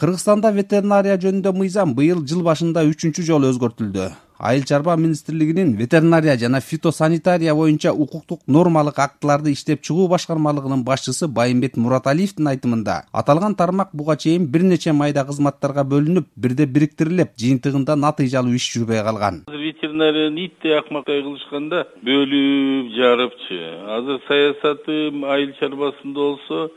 Кыргызстанда ветеринария жөнүндө мыйзам быйыл жыл башында 3-чү жолу өзгөртүлдү. Айыл чарба министрлигинин ветеринария жана фитосанитария боюнча укуктук нормалык актыларды иштеп чыгуу башкармалыгынын башчысы Байымбет Мураталиевдин айтымында, аталган тармак буга чейин бир нече майда кызматтарга бөлүнүп, бирде бириктирилип, жыйынтыгында натыйжалуу иш жүрбөй калган. Ветеринарияны итти акмактай кылышканда бөлүп жарыпчы. Азыр саясаты айыл чарбасында болсо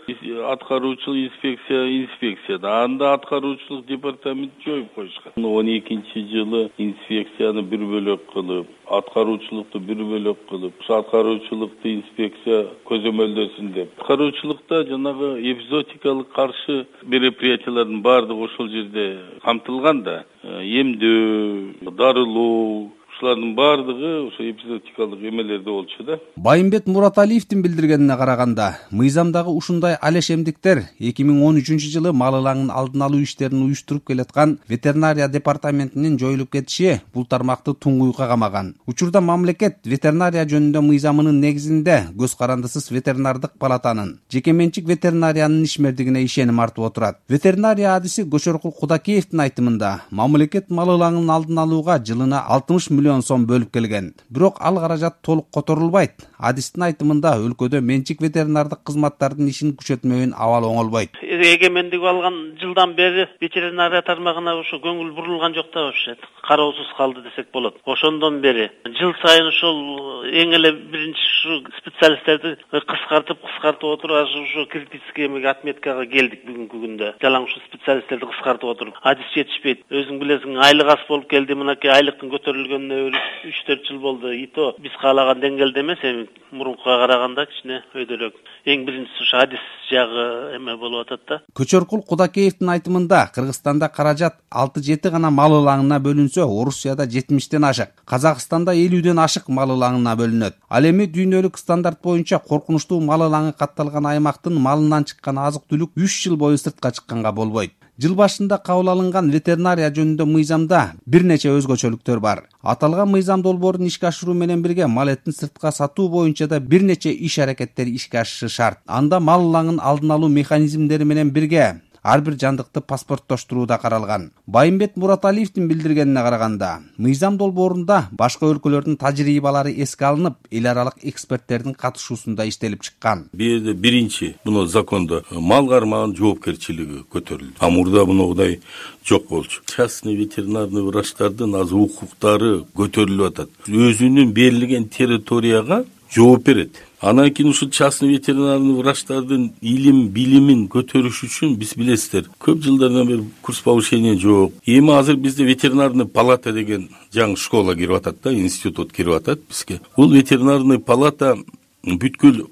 аткаруучулук инспекцияда. Анда аткаруучулук департамент жоюп коюшкан. 12-жылы инспекция бир бөлөк кылып, аткаруучулукту бир бөлөк кылып, аткаруучулукту инспекция көзөмөлдөсүн деп. Аткаруучулукта жанагы эпизоотикалык каршы мероприятиялардын баардыгы ошол жерде камтылган да. Эмдөө, дарылоо, ушулардын баардыгы ошо эпизоотикалык эмелерде болчу да. Байымбет Мураталиевдин билдиргенине караганда, мыйзамдагы ушундай алешемдиктер 2013-жылы мал ылаңын алдын алуу иштерин уюштуруп келаткан ветеринария департаментинин жоюлуп кетиши бул тармакты туңгуйукка камаган. Учурда мамлекет ветеринария жөнүндө мыйзамынын негизинде көз карандысыз ветеринардык палатанын, жеке менчик ветеринариянын ишмердигине ишеним артып отурат. Ветеринария адиси Көчөркул Кудакеевдин айтымында, мамлекет мал ылаңын алдын алууга жылына 60 миллион сом бөлүп келген. Бирок ал каражат толук которулбайт. Адистин айтымында, өлкөдө менчик ветеринардык кызматтардын ишин күчөтмөйүн абал оңолбойт. Эгемендик алган жылдан бери ветеринария тармагына ошо көңүл бурулган жок да вообще. Кароосуз калды десек болот. Ошондон бери жыл сайын ошол эң эле биринчи ушу специалисттерди кыскартып отуруп, ошо критический отметкага келдик бүгүнкү күндө. Жалаң ушу специалисттерди кыскартып отуруп, адис жетишпейт. Өзүң билесиң, айлык аз болуп келди. Мынакей айлыктын көтөрүлгөнүнө 3-4 жыл болду. Ито биз каалаган деңгээлде эмес, эми мурункуга караганда кичине өйдөлөк. Эң биринчиси ушу адис жагы эме болуп атат да. Көчөркул Кудакеевдин айтымында, Кыргызстанда каражат 6-7 гана мал ылаңына бөлүнсө, Орусияда 70-тен ашык, Казакстанда 50-ден ашык мал ылаңына бөлүнөт. Ал эми дүйнөлүк стандарт боюнча коркунучтуу мал ылаңы катталган аймактын малынан чыккан азык-түлүк 3 жыл бою сыртка чыкканга болбойт. Жыл башында кабыл алынган ветеринария жөнүндө мыйзамда бир нече өзгөчөлүктөр бар. Аталган мыйзам долбоорун ишке ашыруу менен бирге мал этин сыртка сатуу боюнча да бир нече иш-аракеттер ишке ашышы шарт. Анда мал ылаңын алдын алуу механизмдери менен бирге ар бир жандыкты паспорттоштуруу да каралган. Байымбет Мураталиевдин билдиргенине караганда, мыйзам долбоорунда башка өлкөлөрдүн тажрыйбалары эске алынып, эл аралык эксперттердин катышуусунда иштелип чыккан. Биринчи муну закондо мал кармагынын жоопкерчилиги көтөрүлдү. А мурда мындай жок болчу. Частный ветеринарный врачтардын азыр укуктары көтөрүлүп атат. Өзүнүн берилген территорияга жооп берет. Анан кийин ушул частный ветеринарный врачтардын илим, билимин көтөрүш үчүн биз билесиздер, көп жылдардан бери курс повышения жок. Эми азыр бизде ветеринарный палата деген жаңы школа кирип атат да, институт кирип атат бизге. Бул ветеринарный палата бүткүл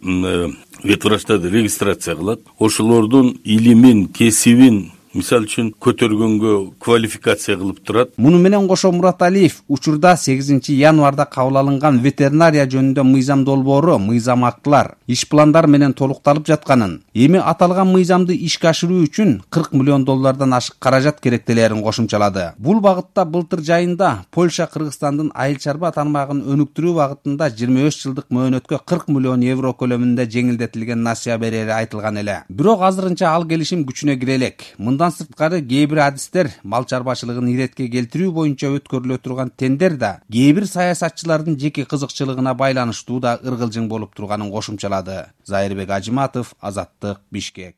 ветврачтарды регистрация кылат. Ошолордун илимин, кесибин мисал үчүн көтөргөнгө квалификация кылып турат. Муну менен кошо Мураталиев учурда 8 январда кабыл алынган ветеринария жөнүндө мыйзам долбоору, мыйзам актылар, иш пландар менен толукталып жатканын, эми аталган мыйзамды ишке ашыруу үчүн 40 миллион доллардан ашык каражат керектелерин кошумчалады. Бул багытта былтыр жайында Польша Кыргызстандын айыл чарба тармагын өнүктүрүү багытында 25 жылдык мөөнөткө 40 миллион евро көлөмүндө жеңилдетилген насыя берери айтылган эле. Бирок азырынча ал келишим күчүнө кире элек. Мындан сырткары кээ бир адистер мал чарбачылыгын иретке келтирүү боюнча өткөрүлө турган тендер да кээ бир саясатчылардын жеке кызыкчылыгына байланыштуу да ыргылжың болуп турганын кошумчалады. Зайырбек Ажиматов, Азаттык, Бишкек.